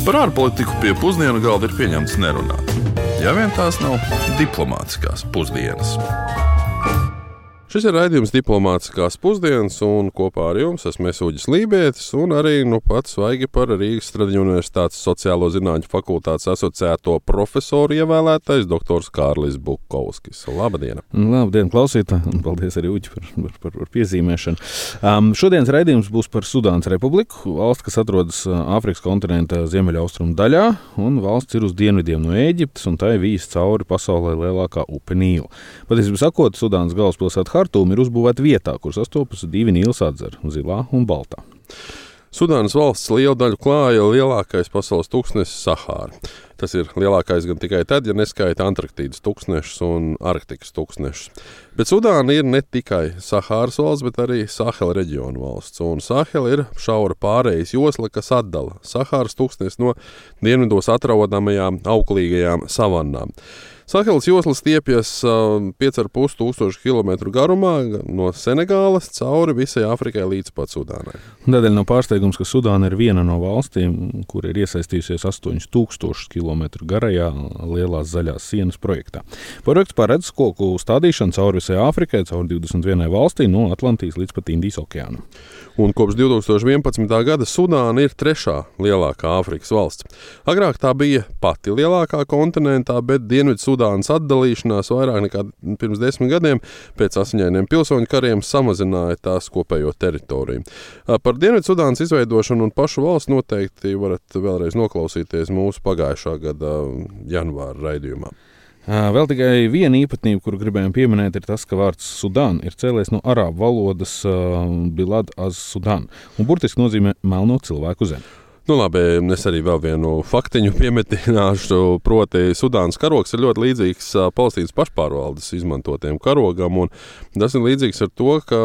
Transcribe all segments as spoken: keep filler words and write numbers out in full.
Par ārpolitiku pie pusdienu galda ir pieņemts nerunāt. Ja vien tās nav diplomātiskās pusdienas. Šis ir raidījums Diplomātiskās pusdienas, un kopā ar jums esmu Uģis Lībietis, un arī nu pats svaigi par Rīgas Stradiņu Universitātes sociālo zinātņu fakultātes asociēto profesoru ievēlētais doktors Kārlis Bukovskis. Labdien! Labdien, klausītāji, un paldies arī Uģi par, par, par, par piezīmēšanu. Um, šodienas raidījums būs par Sudānas republiku, valsts, kas atrodas Āfrikas kontinenta ziemeļaustrumu daļā, un valsts ir uz dienvidiem no Ēģiptes, un tai vīs cauri pasaulē lielākā upe Nīla. Patiesībā sakot, Sudānas galvaspilsēta Hartūma ir uzbūvēta vietā, kur sastopas divi Nīlas atzari – Zilā un Baltā. Sudānas valsts lielu daļu klāja lielākais pasaules tūkstnesis Sahāra. Tas ir lielākais gan tikai tad, ja neskaita Antarktīdas tūkstnešus un Arktikas tūkstnešus. Bet Sudāna ir ne tikai Sahāras valsts, bet arī Sahela reģiona valsts. Un Sahela ir šaura pārejas josla, kas atdala Sahāras tūkstnesi no dienvidos atrodamajām auglīgajām savannām. Sahelas josla stiepjas pieci ar pus tūkstoši kilometru garumā no Senegālas cauri visai Āfrikai līdz pat Sudānai. Tādēļ nav pārsteigums, ka Sudāna ir viena no valstīm, kur ir iesaistījusies astoņus tūkstošus kilometru garajā lielās zaļās sienas projektā. Projekts paredz koku stādīšanu cauri visai Āfrikai, cauri divdesmit vienai valstī no Atlantijas līdz pat Indijas okeānam. Un kopš divi tūkstoši vienpadsmitā gada Sudāna ir trešā lielākā Āfrikas valsts. Agrāk tā bija pati lielākā kontinentā, bet Dienvidu Sudānas atdalīšanās vairāk nekā pirms desmit gadiem pēc asiņainiem pilsoņu kariem samazināja tās kopējo teritoriju. Par Dienvidu Sudānas izveidošanu un pašu valsts noteikti varat vēlreiz noklausīties mūsu pagājušā gada janvāra raidījumā. Vēl tikai viena īpatnība, kuru gribējām pieminēt, ir tas, ka vārds Sudāna ir cēlies no arābu valodas uh, Bilad az Sudan un burtiski nozīmē melno cilvēku zemi. Nu labi, es arī vēl vienu faktiņu piemetināšu, proti Sudānas karogs ir ļoti līdzīgs Palestīnas pašpārvaldes izmantotiem karogam, un tas ir līdzīgs ar to, ka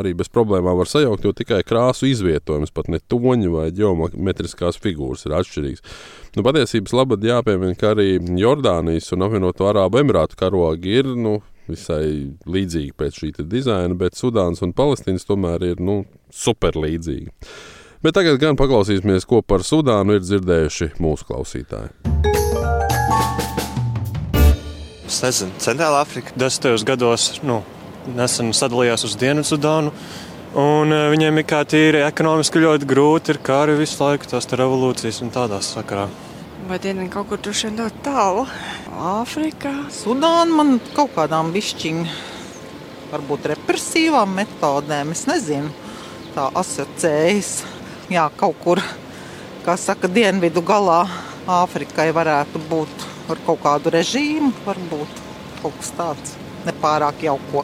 arī bez problēmām var sajaukt, jo tikai krāsu izvietojums, pat ne toņi vai ģeometriskās figūras ir atšķirīgs. Nu, patiesības labad jāpiemina, ka arī Jordānijas un apvienoto Arābu Emirātu karogi ir, nu, visai līdzīgi pēc šī dizaina, bet Sudānas un Palestīnas tomēr ir, nu, super līdzīgi. Bet tagad gan paklausīsimies, ko par Sudānu ir dzirdējuši mūsu klausītāji. Es nezinu, Centrāla Afrika desmitajos gados nu, nesen sadalījās uz Dienvidu Sudānu, un viņiem ir kā tīri ekonomiski ļoti grūti, ir kari visu laiku, tās revolūcijas un tādās sakarā. Vai dienen kaut kur droši vien ļoti tālu? Āfrika. Sudāna man kaut kādām bišķiņ, varbūt represīvām metodēm, es nezinu, tā asociējas. Jā, kaut kur, kā saka, dienvidu galā Āfrikai varētu būt ar kaut kādu režīmu, varbūt kaut kas tāds nepārāk jauko.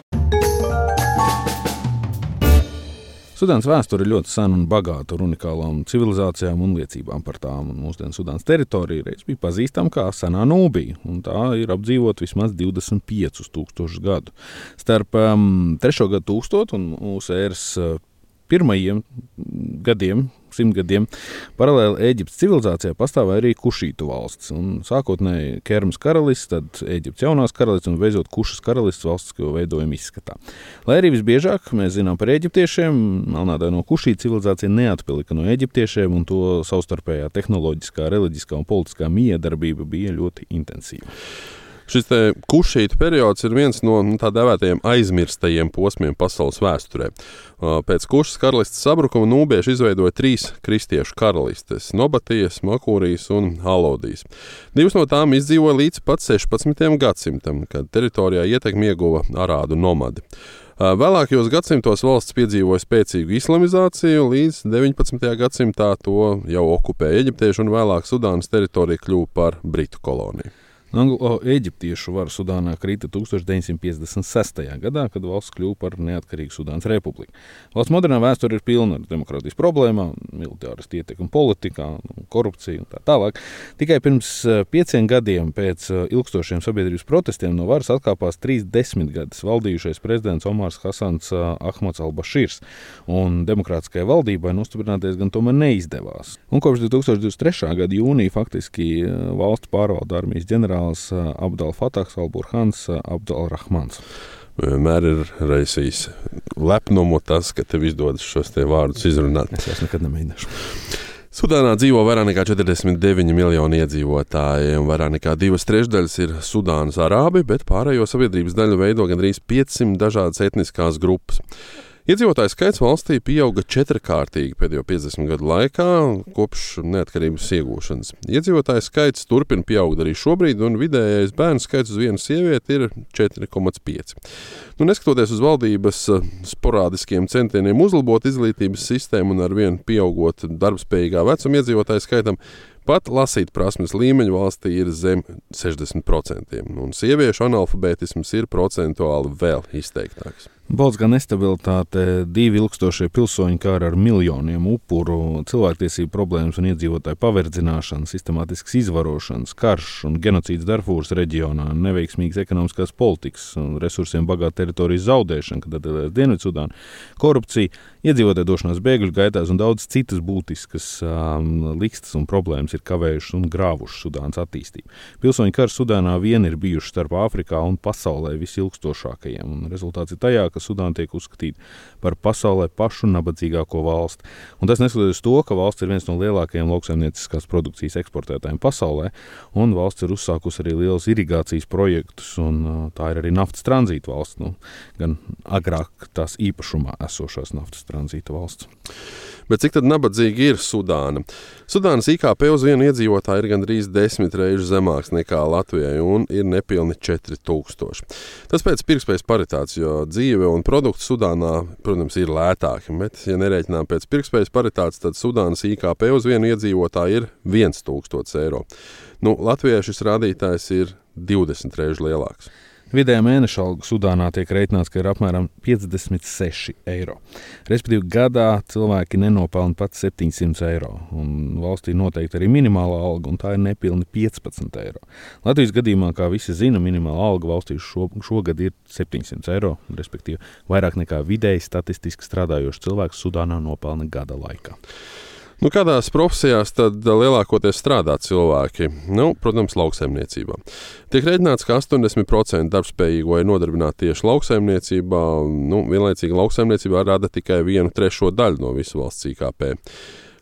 Sudānas vēsture ir ļoti sena un bagāta ar unikālām civilizācijām un liecībām par tām. Un mūsdienu Sudānas teritorija reiz bija pazīstama kā senā Nūbija, un tā ir apdzīvot vismaz divdesmit piecus tūkstošus gadu. Starp um, trešo gadu tūkstotu un mūsu ēras uh, pirmajiem gadiem, simtgadiem, paralēli Ēģiptes civilizācijā pastāvēja arī Kušītu valsts. Un sākotnēji Kermas karalists, tad Ēģiptes jaunās karalists un beidzot Kušas karalists valstisko veidojumu izskatā. Lai arī visbiežāk mēs zinām par eģiptiešiem, melnādaino Kušītu civilizācija neatpalika no eģiptiešiem, un to savstarpējā tehnoloģiskā, reliģiskā un politiskā miedarbība bija ļoti intensīva. Šis te Kušītu periods ir viens no tā dēvētajiem aizmirstajiem posmiem pasaules vēsturē. Pēc Kušas karalistes sabrukuma nūbieši izveidoja trīs kristiešu karalistes – Nobatijas, Makūrijas un Alodijas. Divas no tām izdzīvoja līdz pat sešpadsmitajam gadsimtam, kad teritorijā ietekmi ieguva arādu nomadi. Vēlākajos gadsimtos valsts piedzīvoja spēcīgu islamizāciju, līdz deviņpadsmitajā gadsimtā to jau okupēja eģiptieši un vēlāk Sudānas teritorija kļuva par britu koloniju. Anglo-eģiptiešu vara Sudānā krita tūkstoš deviņsimt piecdesmit sestajā gadā, kad valsts kļuva par neatkarīgu Sudānas republiku. Valsts modernā vēsture ir pilna ar demokrātijas problēmām, militāras ietekmi politikā, korupciju un tā tālāk. Tikai pirms pieciem gadiem pēc ilgstošiem sabiedrības protestiem no varas atkāpās trīs desmitgades valdījušais prezidents Omars Hasans Ahmads al-Bašīrs, un demokrātiskajai valdībai nostiprināties gan tomēr neizdevās. Un kopš divi tūkstoši divdesmit trešā gada jūnija faktiski valstu pārvalda armijas ģenerālis Abdal Fatahs al-Burhans Abdal-Rahmans. Vienmēr ir raisījis lepnumu tas, ka tev izdodas šos te vārdus izrunāt. Es vairs nekad nemēģināšu. Sudānā dzīvo vairāk nekā četrdesmit deviņi miljoni iedzīvotāji, un vairāk nekā divas trešdaļas ir Sudānas arābi, bet pārējo sabiedrības daļu veido gandrīz piecsimt dažādas etniskās grupas. Iedzīvotāju skaits valstī pieauga četrkārtīgi pēdējo piecdesmit gadu laikā, kopš neatkarības iegūšanas. Iedzīvotāju skaits turpina pieaugt arī šobrīd, un vidējais bērnu skaits uz vienu sievieti ir četri komats pieci. Nu, neskatoties uz valdības sporādiskiem centieniem uzlabot izglītības sistēmu un ar vienu pieaugot darbspējīgā vecuma iedzīvotāju skaitam, pat lasīt prasmes līmeņa valstī ir zem sešdesmit procentiem, un sieviešu analfabētisms ir procentuāli vēl izteiktāks. Politiskā nestabilitāte, divi ilgstošie pilsoņu kari ar miljoniem upuru, cilvēktiesību problēmas un iedzīvotāju paverdzināšana, sistemātisks izvarošanas, karš un genocīds Darfūras reģionā, neveiksmīgas ekonomiskās politikas un resursiem bagāta teritorijas zaudēšana, kad atdalās Dienvidsudāna, korupcija, iedzīvotāju došanās bēgļu gaitās un daudz citas būtiskas um, likstas un problēmas ir kavējušas un grāvušas Sudānas attīstību. Pilsoņu karš Sudānā vien ir bijuši starp Āfrikā un pasaulē visilgstošākajiem, un rezultāts ir tajā, ka Sudāna tiek uzskatīta par pasaulē pašu nabadzīgāko valsti. Un tas neskatoties to, ka valsts ir viens no lielākajiem lauksaimnieciskās produkcijas eksportētājiem pasaulē, un valsts ir uzsākusi arī liels irigācijas projektus, un tā ir arī naftas tranzīta valsts, nu, gan agrāk tās īpašumā esošās naftas tranzīta valsts. Bet cik tad nabadzīgi ir Sudāna? Sudānas I K P uz vienu iedzīvotāju ir gandrīz desmit reizes zemāks nekā Latvijai un ir nepilni četri tūkstoši. Tas pēc pirktspējas paritātes, jo dzīve un produkti Sudānā, protams, ir lētāki, bet, ja nerēķinām pēc pirktspējas paritātes, tad Sudānas I K P uz vienu iedzīvotāju ir viens tūkstots eiro. Nu, Latvijai šis rādītājs ir divdesmit reizes lielāks. Vidējā mēneša alga Sudānā tiek reiķināts, ka ir apmēram piecdesmit seši eiro. Respektīvi, gadā cilvēki nenopelna pat septiņsimt eiro, un valstī noteikti arī minimālā alga, un tā ir nepilni piecpadsmit eiro. Latvijas gadījumā, kā visi zina, minimālā alga valstī šo, šogad ir septiņsimt eiro, respektīvi vairāk nekā vidēji statistiski strādājošs cilvēks Sudānā nopelna gada laikā. Nu, kādās profesijās tad lielākoties strādā cilvēki? Nu, protams, lauksaimniecībā. Tiek rēķināts, ka astoņdesmit procenti darbspējīgo ir nodarbināti tieši lauksaimniecībā. Nu, vienlaicīgi lauksaimniecībā rada tikai vienu trešo daļu no visu valsts I K P.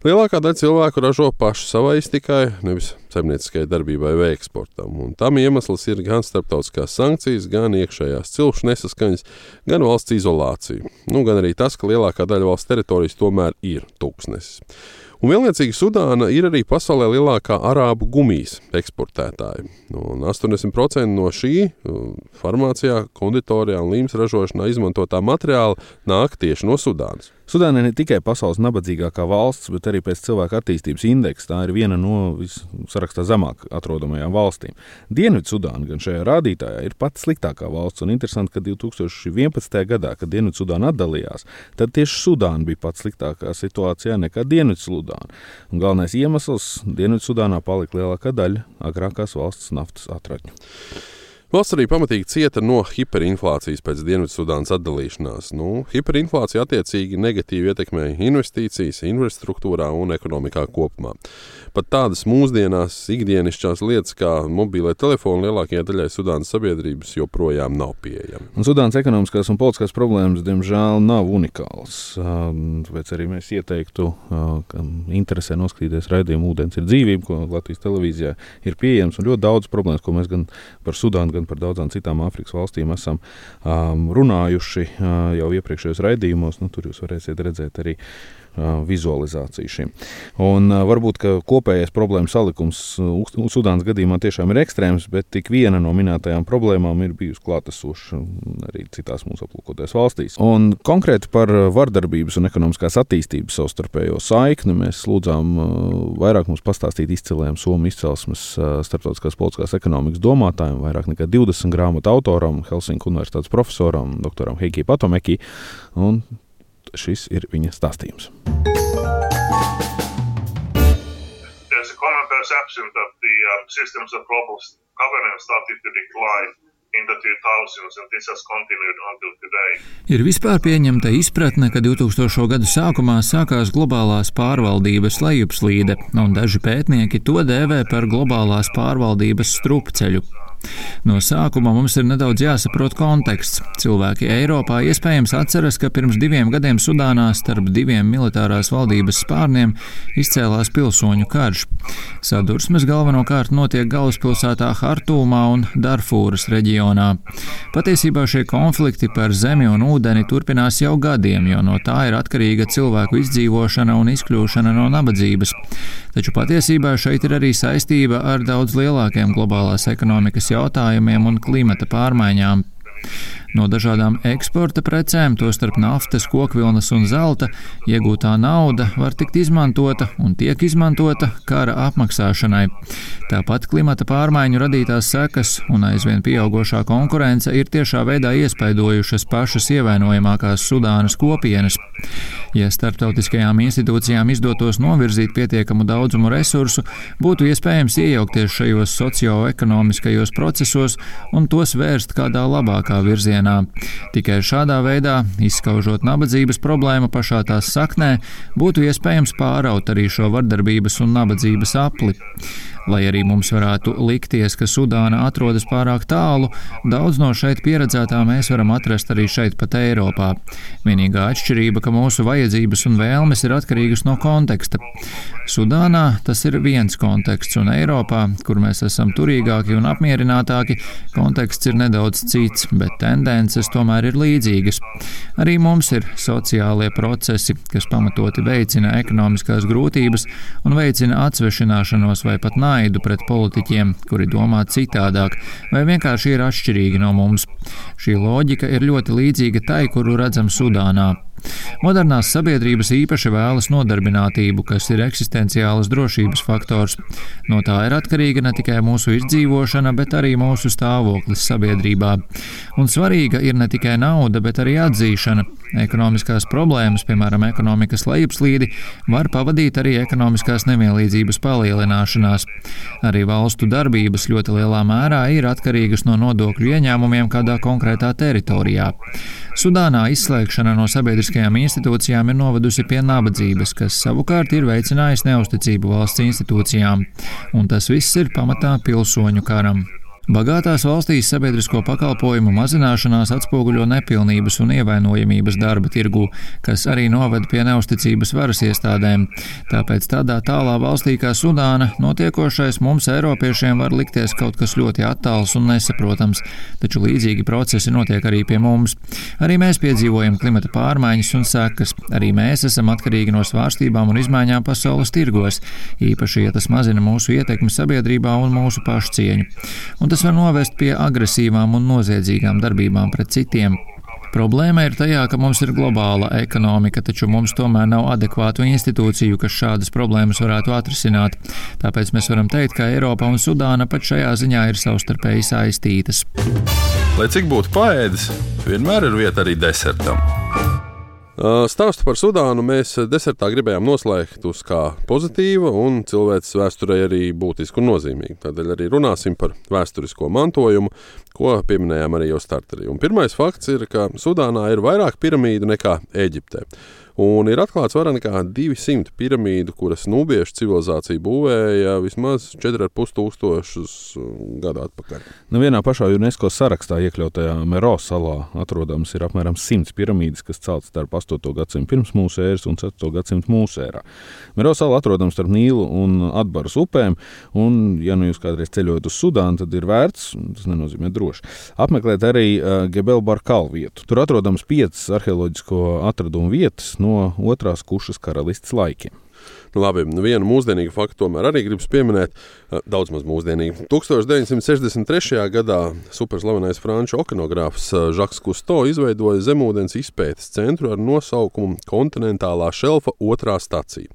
Lielākā daļa cilvēku ražo paši savai iztikai, nevis saimnieciskai darbībai vai eksportam. Un tam iemesls ir gan starptautiskās sankcijas, gan iekšējās cilšu nesaskaņas, gan valsts izolācija. Nu, gan arī tas, ka lielākā daļa valsts teritorijas tomēr ir tūkstnesis. Un vienlaicīgi Sudāna ir arī pasaulē lielākā arābu gumijas eksportētāja. Un astoņdesmit procenti no šī farmācijā, konditorijā un līmes ražošanā izmantotā materiāla nāk tieši no Sudānas. Sudāna ir ne tikai pasaules nabadzīgākā valsts, bet arī pēc cilvēka attīstības indeksa tā ir viena no sarakstā zemāk atrodamajām valstīm. Dienvidsudāna gan šajā rādītājā ir pati sliktākā valsts, un interesanti, ka divi tūkstoši vienpadsmitajā gadā, kad Dienvidsudāna atdalījās, tad tieši Sudāna bija pati sliktākā situācijā nekā Dienvidsudāna. Un galvenais iemesls - Dienvidsudānā palika lielākā daļa agrākās valsts naftas atradņu. Valsts arī pamatīgi cieta no hiperinflācijas pēc Dienvidsudānas atdalīšanās. Nu, hiperinflācija attiecīgi negatīvi ietekmēja investīcijas, infrastruktūrā un ekonomikā kopumā. Pat tādas mūsdienās ikdienišķās lietas kā mobīlē telefoni lielākajai daļai Sudānas sabiedrības joprojām nav pieejami. Un Sudānas ekonomiskās un politiskās problēmas, diemžēl, nav unikāls. Tāpēc arī mēs ieteiktu, ka interesē noskatīties raidījumu Ūdens ir dzīvība, ko Latvijas televīzijā ir pieejams, un ļoti daudz problēmas, ko mēs gan par Sudānu, gan par daudzām citām Āfrikas valstīm esam um, runājuši uh, jau iepriekšējos raidījumos. Nu, tur jūs varēsiet redzēt arī uh, vizualizāciju šim. Un uh, varbūt, ka kopējais problēmu salikums uh, Sudānas gadījumā tiešām ir ekstrēms, bet tik viena no minētajām problēmām ir bijusi klātesoša arī citās mūsu aplūkotajās valstīs. Un konkrēti par vardarbības un ekonomiskās attīstības savstarpējo saikni mēs lūdzām uh, vairāk mums pastāstīt izcilējiem Somu izcelsmes uh, starptautiskās politiskās ekonomikas domātājiem, vairāk nekā divdesmit grāmatu autoram, Helsinku universitātes profesoram, doktoram Heikī Patomekī, un šis ir viņa stāstījums. There's a common perception that the um, systems of global governance started to decline in the two thousands, and this has continued until today. Ir vispār pieņemta izpratne, ka divtūkstošo gadu sākumā sākās globālās pārvaldības lejupslīde, un daži pētnieki to dēvē par globālās pārvaldības strupceļu. No sākuma mums ir nedaudz jāsaprot konteksts. Cilvēki Eiropā iespējams atceras, ka pirms diviem gadiem Sudānā starp diviem militārās valdības spārniem izcēlās pilsoņu karš. Sadursmes galvenokārt notiek galvaspilsētā Hartūmā un Darfūras reģionā. Patiesībā šie konflikti par zemi un ūdeni turpinās jau gadiem, jo no tā ir atkarīga cilvēku izdzīvošana un izkļūšana no nabadzības. Taču patiesībā šeit ir arī saistība ar daudz lielākiem globālās ekonomikas jautājumiem un klimata pārmaiņām. No dažādām eksporta precēm, tostarp naftas, kokvilnas un zelta, iegūtā nauda var tikt izmantota un tiek izmantota kara apmaksāšanai. Tāpat klimata pārmaiņu radītās sekas un aizvien pieaugošā konkurence ir tiešā veidā iespaidojušas pašas ievainojamākās Sudānas kopienas. Ja starptautiskajām institūcijām izdotos novirzīt pietiekamu daudzumu resursu, būtu iespējams iejaukties šajos socioekonomiskajos procesos un tos vērst kādā labākā virzienā. Tikai šādā veidā, izskaužot nabadzības problēmu pašā tās saknē, būtu iespējams pāraut arī šo vardarbības un nabadzības apli. Lai arī mums varētu likties, ka Sudāna atrodas pārāk tālu, daudz no šeit pieredzētā mēs varam atrast arī šeit pat Eiropā. Vienīgā atšķirība, ka mūsu vajadzības un vēlmes ir atkarīgas no konteksta. Sudānā tas ir viens konteksts, un Eiropā, kur mēs esam turīgāki un apmierinātāki, konteksts ir nedaudz cits, bet tendences tomēr ir līdzīgas. Arī mums ir sociālie procesi, kas pamatoti veicina ekonomiskās grūtības un veicina atsvešināšanos vai pat nāvi pret politiķiem, kuri domā citādāk, vai vienkārši ir atšķirīgi no mums. Šī loģika ir ļoti līdzīga tai, kuru redzam Sudānā. Modernās sabiedrības īpaši vēlas nodarbinātību, kas ir eksistenciālas drošības faktors. No tā ir atkarīga ne tikai mūsu izdzīvošana, bet arī mūsu stāvoklis sabiedrībā. Un svarīga ir ne tikai nauda, bet arī atzīšana. Ekonomiskās problēmas, piemēram, ekonomikas lejupslīdi, var pavadīt arī ekonomiskās nevienlīdzības palielināšanās. Arī valstu darbības ļoti lielā mērā ir atkarīgas no nodokļu ieņēmumiem kādā konkrētā teritorijā. Sudānā izslēgšana no sabiedriskajām institūcijām ir novedusi pie nabadzības, kas savukārt ir veicinājis neusticību valsts institūcijām. Un tas viss ir pamatā pilsoņu karam. Bagātās valstīs sabiedrisko pakalpojumu mazināšanās atspoguļo nepilnības un ievainojamības darba tirgū, kas arī noved pie neusticības varas iestādēm. Tāpēc tādā tālā valstī kā Sudāna notiekošais mums eiropiešiem var likties kaut kas ļoti attāls un nesaprotams, taču līdzīgi procesi notiek arī pie mums. Arī mēs piedzīvojam klimata pārmaiņas un sekas. Arī mēs esam atkarīgi no svārstībām un izmaiņām pasaules tirgos, īpaši, ja tas mazina mūsu ietekmi sabiedrībā un mūsu pašcieņu. Un tas var novest pie agresīvām un noziedzīgām darbībām pret citiem. Problēma ir tajā, ka mums ir globāla ekonomika, taču mums tomēr nav adekvātu institūciju, kas šādas problēmas varētu atrisināt. Tāpēc mēs varam teikt, ka Eiropa un Sudāna pat šajā ziņā ir savstarpēji saistītas. Lai cik būtu paēdis, vienmēr ir vieta arī desertam. Stāstu par Sudānu mēs desertā gribējām noslēgt uz kā pozitīva un cilvēces vēsturei arī būtisku un nozīmīgu. Tādēļ arī runāsim par vēsturisko mantojumu, ko pieminējām arī jau starterī. Un pirmais fakts ir, ka Sudānā ir vairāk piramīdu nekā Ēģiptē. Un ir atklāts vairāk nekā divi simti piramīdu, kuras nubiešu civilizācija būvēja vismaz četri ar pus tūkstošus gadu atpakaļ. Nu, vienā pašā UNESCO sarakstā iekļautajā Meroe salā atrodams ir apmēram simts piramīdas, kas celtas starp astoto gadsimtu pirms mūsu ēras un ceturto gadsimtu mūsu ērā. Meroe sala atrodams starp Nīlu un Atbaras upēm, un, ja nu jūs kādreiz ceļojat uz Sudānu, tad ir vērts, tas nenozīmē droši, apmeklēt arī uh, Gebel Barkal vietu. Tur atrodams piecas arheoloģisko atradumu vietas no otrās Kušas karalistes laikiem. Nu, labi, vienu mūsdienīgu faktu tomēr arī gribas pieminēt, daudz maz mūsdienīgi. tūkstoš deviņsimt sešdesmit trešajā gadā superslavenais franču okeanogrāfs Žaks Kusto izveidoja zemūdens izpētes centru ar nosaukumu Kontinentālā šelfa otrā stacija.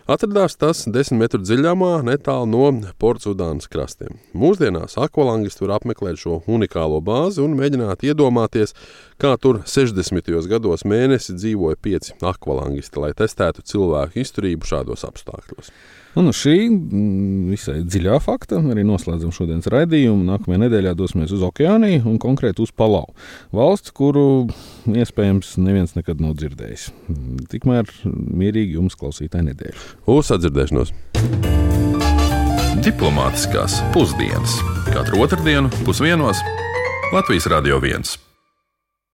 Atradās tas desmit metru dziļumā netālu no Portsudānas krastiem. Mūsdienās akvalangisti var apmeklēt šo unikālo bāzi un mēģināt iedomāties, kā tur sešdesmitajos gados mēnesi dzīvoja pieci akvalangisti, lai testētu cilvēku izturību šādos apstākļos. Un uz šī visai dziļā fakta arī noslēdzam šodienas raidījumu. Nākamajā nedēļā dosimies uz Okeāniju un konkrēti uz Palau, valsts, kuru iespējams neviens nekad nav dzirdējis. Tikmēr mierīgi jums klausītāji nedēļu. Uz sadzirdēšanos! Diplomātiskās pusdienas katru otrdienu pusdienos Latvijas Radio viens.